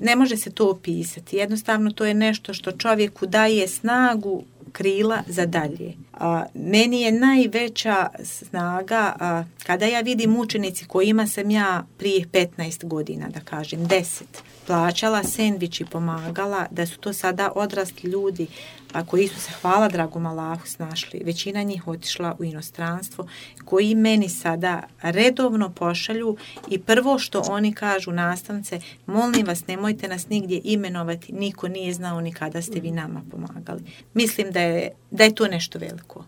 Ne može se to opisati. Jednostavno to je nešto što čovjeku daje snagu, krila za dalje. Meni je najveća snaga kada ja vidim učenici kojima sam ja prije 15 godina, da kažem 10, plaćala sendvič i pomagala, da su to sada odrasli ljudi koji su se, hvala dragom Allahu, snašli. Većina njih otišla u inostranstvo, koji meni sada redovno pošalju i prvo što oni kažu, nastavnice, molim vas, nemojte nas nigdje imenovati, niko nije znao ni kada ste vi nama pomagali. Mislim da je to nešto veliko.